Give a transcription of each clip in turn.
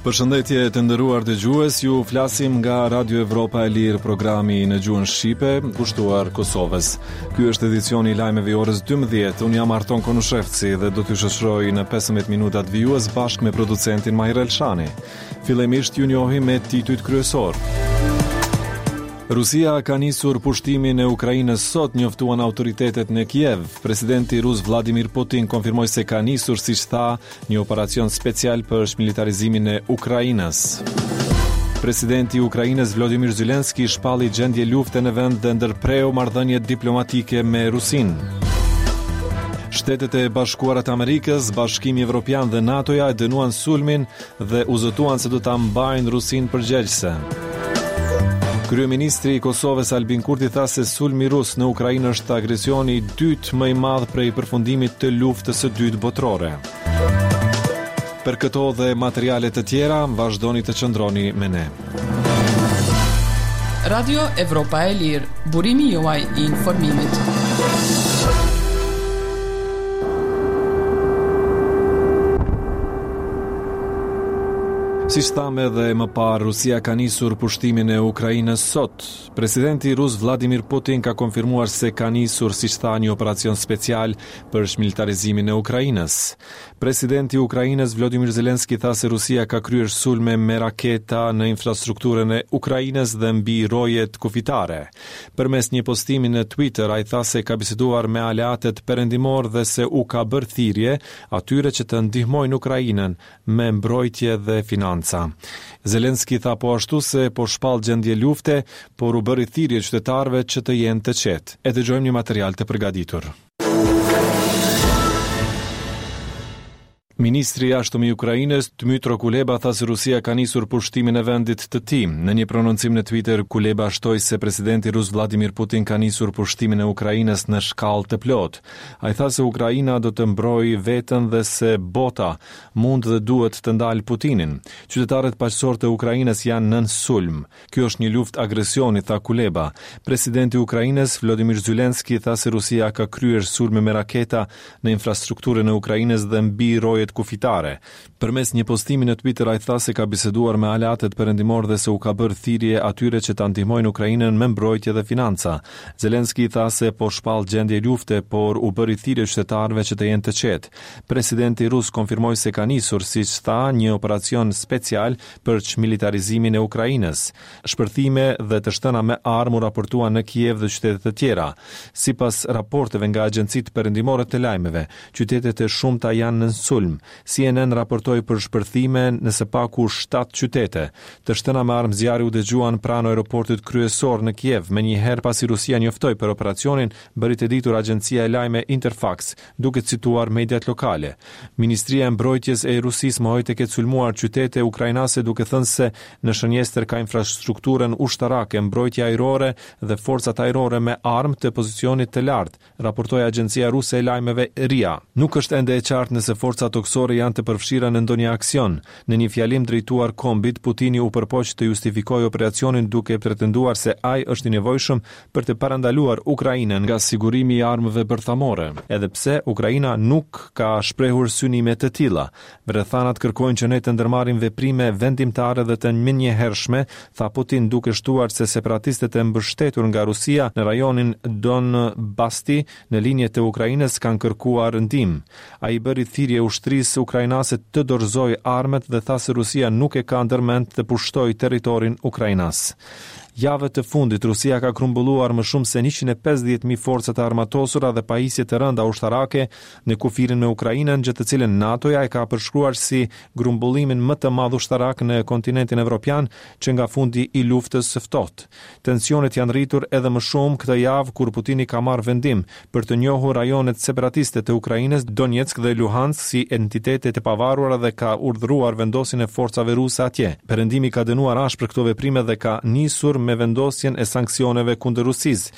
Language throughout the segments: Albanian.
Përshëndetje të nderuar dëgjues, ju flasim nga Radio Evropa e Lirë, programi në gjuhën shqipe, kushtuar Kosovës. Ky është edicioni i lajmeve i orës 12. Unë jam Arton Konushevci dhe do t'ju shoqëroj në 15 minutat vijues bashkë me producentin Mahir Elshani. Fillimisht ju njohim me titujt kryesorë. Rusia ka nisur pushtimin e Ukrainës sot, njoftuan autoritetet në Kiev. Presidenti rus Vladimir Putin konfirmoi se ka nisur, siç tha, një operacion special për çmilitarizimin e Ukrainës. Presidenti i Ukrainës Vladimir Zelensky shpalli gjendje lufte në vend dhe ndërpreu marrëdhëniet diplomatike me Rusinë. Shtetet e Bashkuara të Amerikës, Bashkimi Evropian dhe NATO-ja e dënuan sulmin dhe u zotuan se do ta mbajnë Rusinë përgjegjëse. Kryeministri i Kosovës Albin Kurti tha se sulmi rus në Ukrainë është agresioni i dytë më i madh prej përfundimit të luftës së dytë botërore. Për këto dhe materiale të tjera, vazhdoni të qëndroni me ne. Radio Evropa e Lirë, burimi juaj i informimit. Siç thamë edhe më parë, Rusia ka nisur pushtimin e Ukrainës sot. Presidenti rus Vladimir Putin ka konfirmuar se ka nisur, siç tha, një operacion special për çmilitarizimin e Ukrainës. Presidenti i Ukrainës Vladimir Zelensky tha se Rusia ka kryer sulme me raketa në infrastrukturën e Ukrainës dhe mbi rojet kufitare. Përmes një postimi në Twitter, ai tha se ka biseduar me aleatët perëndimorë dhe se u ka bërë thirrje atyre që të ndihmojnë Ukrainën me mbrojtje dhe financa. Zelensky tha po ashtu se po shpall gjendje lufte, por u bëri thirrje qytetarëve që të jenë të qetë. E dëgjojmë një material të përgatitur. Ministri i Jashtëm i Ukrainës, Dmytro Kuleba tha se Rusia ka nisur pushtimin e vendit të tij. Në një prononcim në Twitter, Kuleba shtoi se presidenti rus Vladimir Putin ka nisur pushtimin e Ukrainës në shkallë të plotë. Ai tha se Ukraina do të mbrojë veten dhe se bota mund dhe duhet të ndalë Putinin. Qytetarët paqësorë të Ukrainës janë nën sulm. Kjo është një luftë agresioni, tha Kuleba. Presidenti i Ukrainës, Vladimir Zelensky, tha se Rusia ka kryer sulme me raketa në infrastrukturën e Ukrainës dhe mbi rojet kufitare. Përmes një postimi në Twitter ai tha se ka biseduar me aleatët perëndimorë dhe se u ka bërë thirrje atyre që ta ndihmojnë Ukrainën me mbrojtje dhe financa. Zelensky tha se po shpall gjendje lufte, por u bëri thirrje qytetarëve që të jenë të qetë. Presidenti rus konfirmoi se ka nisur, siç tha, një operacion special për çmilitarizimin e Ukrainës. Shpërthime dhe të shtëna me armë u raportuan në Kiev dhe qytete të tjera. Sipas raporteve nga agjencitë perëndimore të lajmeve, qytete të shumta janë nën sulm. CNN raportoi për shpërthime në së paku shtatë qytete. Të shtëna me armë zjarri u dëgjuan pranë aeroportit kryesor në Kiev, menjëherë pasi Rusia njoftoi për operacionin, bëri të ditur agjencia e lajme Interfax, duke cituar mediat lokale. Ministria e Mbrojtjes e Rusisë mohoi të ketë sulmuar qytete ukrainase duke thënë se në shënjestër ka infrastrukturën ushtarake, mbrojtje ajrore dhe forcat ajrore me armë të pozicionit të lartë, raportoi agjencia ruse e lajmeve RIA. Nuk është ende e qartë nëse forcat tokësore janë të përfshira në ndonjë aksion. Në një fjalim drejtuar kombit, Putini u përpoq të justifikojë operacionin duke pretenduar se ai është i nevojshëm për të parandaluar Ukrainën nga sigurimi i armëve bërthamore, edhe pse Ukraina nuk ka shprehur synime të tilla. Rrethanat kërkojnë që ne të ndërmarrim veprime vendimtare dhe të menjëhershme, tha Putin duke shtuar se separatistët e mbështetur nga Rusia në rajonin Donbasti në lindje të Ukrainës kanë kërkuar ndihmë. Ai i bëri thirrje ushtrisë ukrainase të dorëzojë armët dhe tha se Rusia nuk e ka ndërmend të pushtojë territorin ukrainas. Javët e fundit, Rusia ka grumbulluar më shumë se 150.000 forca të armatosura dhe pajisje të rënda ushtarake në kufirin me Ukrainën, gjë të cilën NATO-ja e ka përshkruar si grumbullimin më të madh ushtarak në kontinentin evropian që nga fundi i Luftës së Ftohtë. Tensionet janë rritur edhe më shumë këtë javë kur Putini ka marrë vendim për të njohur rajonet separatiste të Ukrainës, Donetsk dhe Luhansk si entitete të pavarura dhe ka urdhëruar vendosjen e forcave ruse atje. Perëndimi ka dënuar ashpër këto veprime dhe ka nisur me. me vendosjen e sanksioneve kundër Rusisë.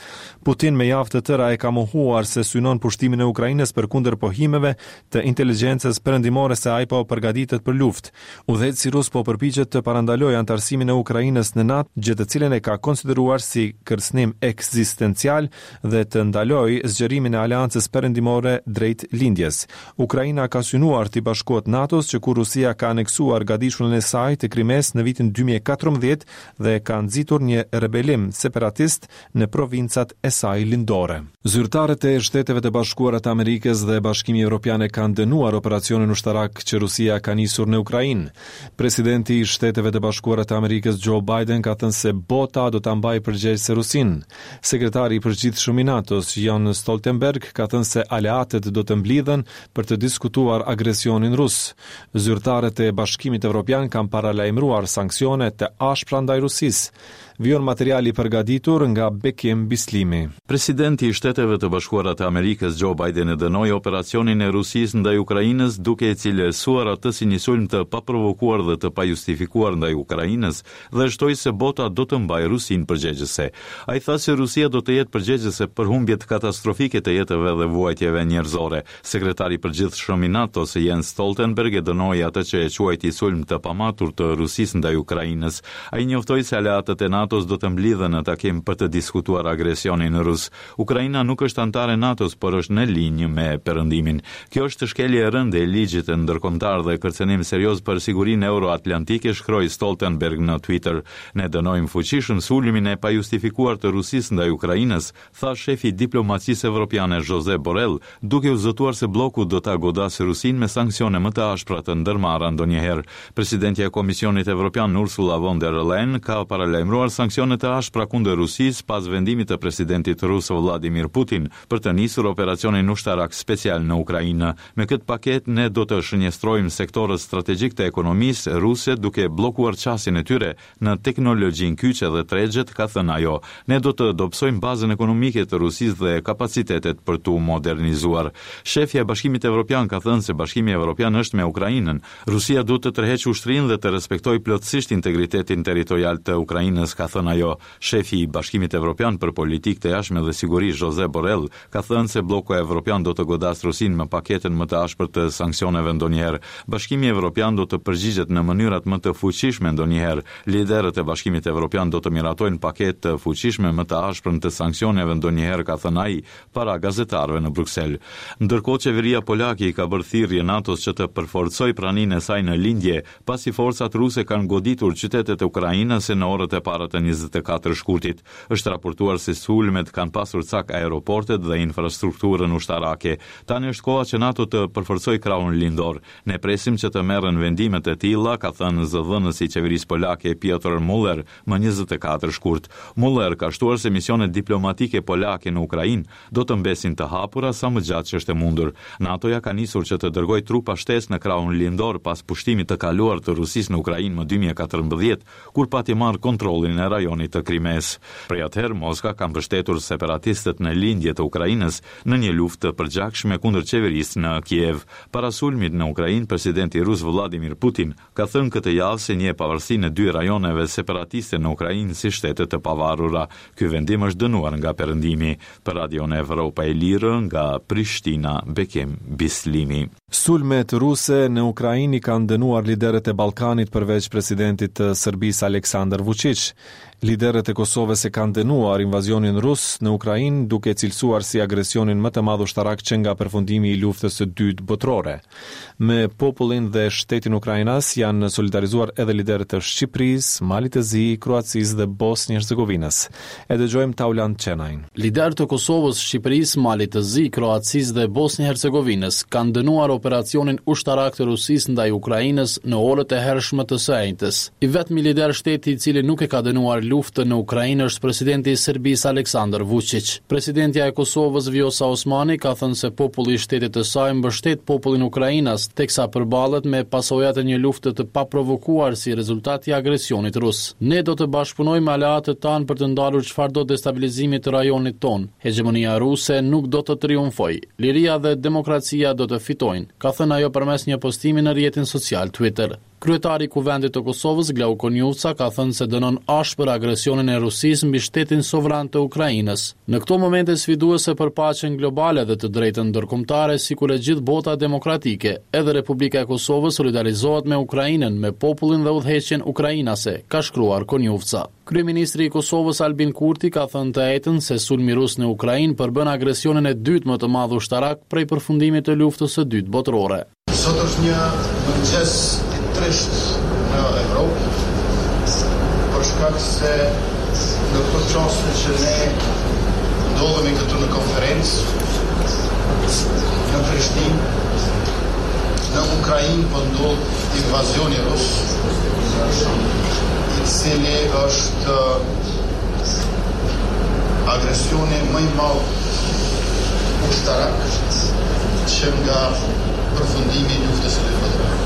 Putin me javë të tëra e ka mohuar se synon pushtimin e Ukrainës përkundër pohimeve të inteligjencës perëndimore se ai po përgatitet për luftë. Udhëheqësi rus po përpiqet të parandalojë anëtarësimin e Ukrainës në NATO, gjë të cilën e ka konsideruar si kërcënim ekzistencial dhe të ndalojë zgjerimin e aleancës perëndimore drejt lindjes. Ukraina ka synuar t'i bashkohet NATO-s që kur Rusia ka aneksuar gadishullin e saj të Krimesë në vitin 2014 dhe ka nxitur një rebelim separatist në provincat e saj lindore. Zyrtarët e Shteteve të Bashkuara të Amerikës dhe Bashkimi Evropian e kanë dënuar operacionin ushtarak që Rusia ka nisur në Ukrainë. Presidenti i Shteteve të Bashkuara të Amerikës Joe Biden ka thënë se bota do ta mbajë përgjegjëse Rusinë. Sekretari i Përgjithshëm i NATO-s, Jens Stoltenberg, ka thënë se aleatët do të mblidhen për të diskutuar agresionin rus. Zyrtarët e Bashkimit Evropian kanë paralajmëruar sanksione të ashpra ndaj Rusisë. Vijon materiali i përgatitur nga Bekim Bislimi. Presidenti i Shteteve të Bashkuara të Amerikës, Joe Biden e dënoi operacionin e Rusisë ndaj Ukrainës, duke e cilësuar atë si një sulm të paprovokuar dhe të pajustifikuar ndaj Ukrainës dhe shtoi se bota do të mbajë Rusinë përgjegjëse. Ai tha se Rusia do të jetë përgjegjëse për humbjet katastrofike të jetëve dhe vuajtjeve njerëzore. Sekretari i Përgjithshëm i NATO-s, Jens Stoltenberg e dënoi atë që e quajti sulm të pamatur të Rusisë ndaj Ukrainës. Ai njoftoi se aleatët e NATO-s do të mblidhen në takim për të diskutuar agresionin rus. Ukraina nuk është anëtare e NATO-s, por është në linjë me Perëndimin. Kjo është shkelje e rëndë e ligjit ndërkombëtar dhe kërcënim serioz për sigurinë euroatlantike, shkroi Stoltenberg në Twitter. Ne dënojmë fuqishëm sulmin e pajustifikuar të Rusisë ndaj Ukrainës, tha shefi i diplomacisë evropiane Josep Borrell, duke u zotuar se blloku do ta godasë Rusinë me sanksione më të ashpra të ndërmarra ndonjëherë. Presidentja e Komisionit Evropian Ursula von der Leyen ka paralajmëruar sanksione të ashpra kundër Rusisë pas vendimit të presidentit rus Vladimir Putin për të nisur operacionin ushtarak special në Ukrainë. Me këtë paketë ne do të shënjestrojmë sektorët strategjikë të ekonomisë ruse duke bllokuar qasjen e tyre në teknologjinë kyçe dhe tregjet, ka thënë ajo. Ne do të dobësojmë bazën ekonomike të Rusisë dhe kapacitetet për t'u modernizuar. Shefja e Bashkimit Evropian ka thënë se Bashkimi Evropian është me Ukrainën. Rusia duhet të tërheqë ushtrinë dhe të respektojë plotësisht integritetin territorial të Ukrainës, ka thënë ajo. Shefi i Bashkimit Evropian për Politikë të Jashtme dhe Siguri, Josep Borrell, ka thënë se blloku evropian do të godasë Rusinë me paketën më të ashpër të sanksioneve ndonjëherë. Bashkimi Evropian do të përgjigjet në mënyrat më të fuqishme ndonjëherë. Liderët e Bashkimit Evropian do të miratojnë paketë të fuqishme më të ashprën të sanksioneve ndonjëherë, ka thënë ai para gazetarëve në Bruksel. Ndërkohë, qeveria polake i ka bërë thirrje NATO-s që të përforcojë praninë e saj në lindje, pasi forcat ruse kanë goditur qytetet ukrainase në orët e para të 24 shkurtit. Është raportuar se sulmet kanë pasur cak aeroportet dhe infrastrukturën ushtarake. Tani është koha që NATO të përforcojë krahun lindor. Ne presim që të merren vendime të tilla, ka thënë zëdhënësi i qeverisë polake Piotr Muller më 24 shkurt. Muller ka shtuar se misionet diplomatike polake në Ukrainë do të mbesin të hapura sa më gjatë që është e mundur. NATO-ja ka nisur që të dërgojë trupa shtesë në krahun lindor pas pushtimit të kaluar të Rusisë në Ukrainë më 2014, kur pati marrë kontrollin e rajonit të Krimesë. Prej atëherë, Moska ka mbështetur separatistët në lindje të Ukrainës në një luftë të përgjakshme kundër qeverisë në Kiev. Para sulmit në Ukrainë, presidenti rus Vladimir Putin ka thënë këtë javë se njeh pavarësinë e dy rajoneve separatiste në Ukrainë si shtete të pavarura. Ky vendim është dënuar nga Perëndimi. Për Radion Evropa e Lirë, nga Prishtina, Bekim Bislimi. Sulmet ruse në Ukrainë i kanë dënuar liderët e Ballkanit përveç presidentit të Serbisë Aleksandar Vuçiq. Liderët e Kosovës e kanë dënuar invazionin rus në Ukrainë duke e cilësuar si agresionin më të madh ushtarak që nga përfundimi i Luftës së Dytë Botërore. Me popullin dhe shtetin ukrainas janë solidarizuar edhe liderët e Shqipërisë, Malit të Zi, Kroacisë dhe Bosnjë-Hercegovinës. E dëgjojmë Taulant Cenajn. Liderë të Kosovës, Shqipërisë, Malit të Zi, Kroacisë dhe Bosnjë-Hercegovinës kanë dënuar operacionin ushtarak të Rusisë ndaj Ukrainës në orët e hershme të së enjtes. I vetmi lider shteti i cili nuk e ka dënuar luftën në Ukrainë është presidenti i Serbisë Aleksandar Vuçiq. Presidentja e Kosovës Vjosa Osmani ka thënë se populli i shtetit të saj mbështet popullin ukrainas, teksa përballet me pasojat e një lufte të paprovokuar si rezultat i agresionit rus. Ne do të bashkëpunojmë me aleatët tanë për të ndalur çfarëdo destabilizimi të rajonit tonë. Hegjemonia ruse nuk do të triumfojë. Liria dhe demokracia do të fitojnë, ka thënë ajo përmes një postimi në rrjetin social Twitter. Kryetari i Kuvendit të Kosovës, Glauk Konjufca, ka thënë se dënon ashpër agresionin e Rusisë mbi shtetin sovran të Ukrainës. Në këto momente sfiduese për paqen globale dhe të drejtën ndërkombëtare, sikur e gjithë bota demokratike, edhe Republika e Kosovës solidarizohet me Ukrainën, me popullin dhe udhëheqjen ukrainase, ka shkruar Konjufca. Kryeministri i Kosovës, Albin Kurti, ka thënë të enjten se sulmi rus në Ukrainë përbën agresionin e dytë më të madh ushtarak prej përfundimit të Luftës së Dytë Botërore. Sot është një mëngjes i trishtë në Evropë, për shkak se në këto çaste që ne ndodhemi këtu në konferencë, në Prishtinë, në Ukrainë po ndodh invazioni rus, i cili është agresioni më i madh ushtarak që nga përfundimi i Luftës së Dytë Botërore.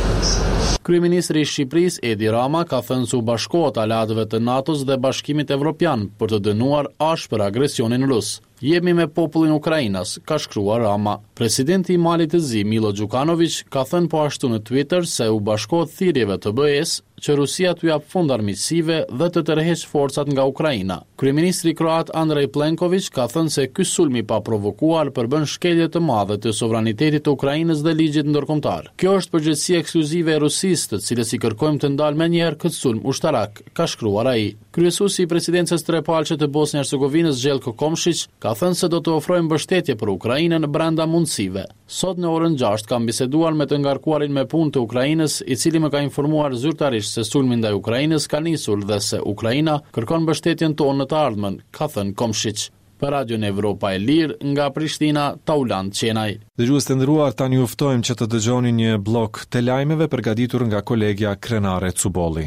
Kryeministri i Shqipërisë, Edi Rama, ka thënë se u bashkohet aleatëve të NATO-s dhe Bashkimit Evropian për të dënuar ashpër agresionin rus. Jemi me popullin ukrainas, ka shkruar Rama. Presidenti i Malit të Zi, Milo Gjukanoviq, ka thënë po ashtu në Twitter se u bashkohet thirrjeve të BE-së që Rusia t'u japë fund armiqësive dhe të tërheqë forcat nga Ukraina. Kryeministri kroat Andrej Plenkoviq ka thënë se ky sulm i paprovokuar përbën shkelje të madhe të sovranitetit të Ukrainës dhe ligjit ndërkombëtar. Kjo është përgjegjësi ekskluzive e Rusisë, të cilës i kërkojmë të ndalë menjëherë këtë sulm ushtarak, ka shkruar ai. Kryesuesi i Presidencës Trepalëshe të Bosnjë-Hercegovinës, Zhelko Komshiq, ka thënë se do të ofrojë mbështetje për Ukrainën brenda mundësive. Sot në orën 6 kam biseduar me të ngarkuarin me punë të Ukrainës, i cili më ka informuar zyrtarisht se sulmi ndaj Ukrainës ka nisur dhe se Ukraina kërkon mbështetjen tonë në të ardhmen, ka thënë Komshiq. Për Radion Evropa e Lirë, nga Prishtina, Taulant Qenaj. Dëgjues të nderuar, tani ju ftojmë që të dëgjoni një bllok të lajmeve përgatitur nga kolegja Krenare Cubolli.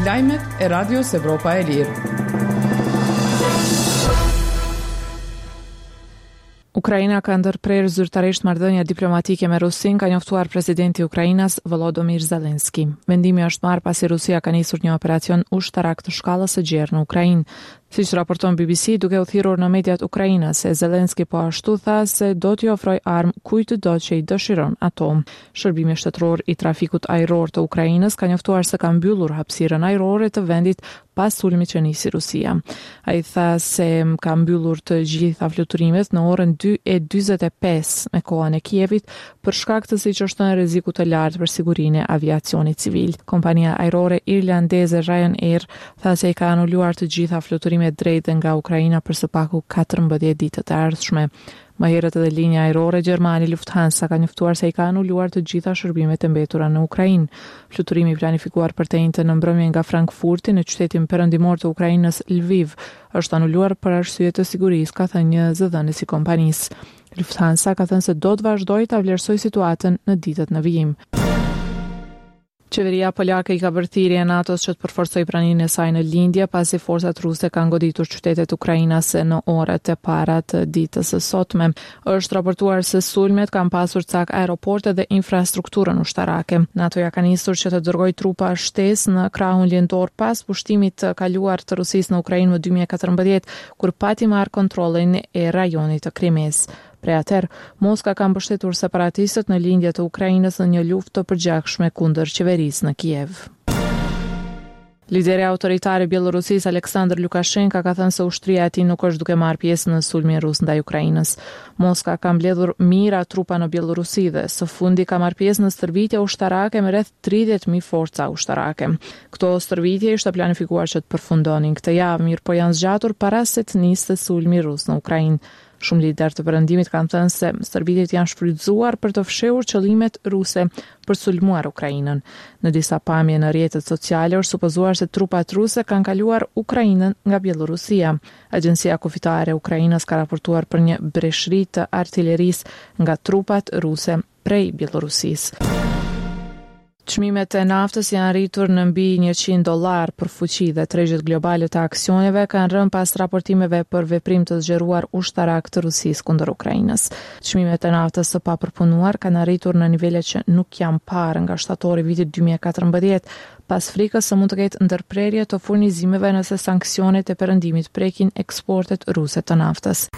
Lajmet e Radios Evropa e Lirë. Ukraina ka ndërprerë zyrtarisht marrëdhëniet diplomatike me Rusinë, ka njoftuar presidenti ukrainas Volodymyr Zelensky. Vendimi është marrë pasi Rusia ka nisur një operacion ushtarak të shkallës së gjerë në Ukrainë. Siç raporton BBC, duke u thirrur në mediat ukrainase, Zelensky po ashtu tha se do t'i ofrojë armë kujtdo që i dëshiron ato. Shërbimi shtetëror i trafikut ajror të Ukrainës ka njoftuar se ka mbyllur hapësirën ajrore të vendit pas sulmit që nisi Rusia. Ai tha se ka mbyllur të gjitha fluturimet në orën 2:45 me kohën e Kievit për shkak të siç është thënë rrezikut të lartë për sigurinë e aviacionit civil. Kompania ajrore irlandeze Ryanair tha se i ka anuluar të gjitha fluturimet drejt dhe nga Ukraina për së paku 14 ditët e ardhshme. Më herët edhe linja ajrore gjermane Lufthansa ka njoftuar se i ka anuluar të gjitha shërbimet e mbetura në Ukrainë. Fluturimi i planifikuar për të enjten në mbrëmje nga Frankfurti në qytetin perëndimor të Ukrainës, Lviv, është anuluar për arsye të sigurisë, ka thënë një zëdhënës i kompanisë. Lufthansa ka thënë se do të vazhdojë ta vlerësojë situatën në ditët në vijim. Qeveria polake i ka bërë thirrje NATO-s që të përforcojë praninë e saj në lindje, pasi forcat ruse kanë goditur qytetet ukrainase në orët e para të ditës së sotme. Është raportuar se sulmet kanë pasur cak aeroporte dhe infrastrukturën ushtarake. NATO-ja ka nisur që të dërgojë trupa shtesë në krahun lindor pas pushtimit të kaluar të Rusisë në Ukrainë më 2014, kur pati marrë kontrollin e rajonit të Krimesë. Prej atëherë, Moska ka mbështetur separatistët në lindje të Ukrainës në një luftë të përgjakshme kundër qeverisë në Kiev. Lideri autoritar i Bjellorusisë, Aleksandr Lukashenka, ka thënë se ushtria e tij nuk është duke marrë pjesë në sulmin rus ndaj Ukrainës. Moska ka mbledhur mijëra trupa në Bjellorusi dhe së fundi ka marrë pjesë në stërvitje ushtarake me rreth 30.000 forca ushtarake. Këto stërvitje ishte planifikuar që të përfundonin këtë javë, mirëpo janë zgjatur para se të niste sulmi rus në Ukrainë. Shumë liderë të Perëndimit kanë thënë se stërvitjet janë shfrytëzuar për të fshehur qëllimet ruse për të sulmuar Ukrainën. Në disa pamje në rrjetet sociale është supozuar se trupat ruse kanë kaluar Ukrainën nga Bjellorusia. Agjencia Kufitare e Ukrainës ka raportuar për një breshëri të artilerisë nga trupat ruse prej Bjellorusisë. Çmimet e naftës janë rritur në mbi 100 dollarë për fuçi dhe tregjet globale të aksioneve kanë rënë pas raportimeve për veprim të zgjeruar ushtarak të Rusisë kundër Ukrainës. Çmimet e naftës së papërpunuar kanë arritur në nivele që nuk janë parë nga shtatori i vitit 2014, pas frikës se mund të ketë ndërprerje të furnizimeve nëse sanksionet e Perëndimit prekin eksportet ruse të naftës.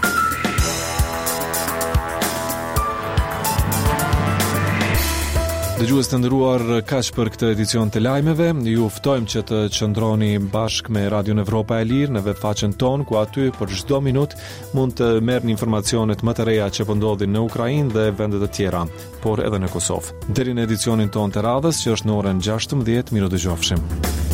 Dëgjues të nderuar, kaq për këtë edicion të lajmeve. Ju ftojmë që të qëndroni bashkë me Radion Evropa e Lirë në webfaqen tonë, ku aty për çdo minutë mund të merrni informacionet më të reja që po ndodhin në Ukrainë dhe vende të tjera, por edhe në Kosovë. Deri në edicionin tonë të radhës, që është në orën 16, mirudëgjofshim.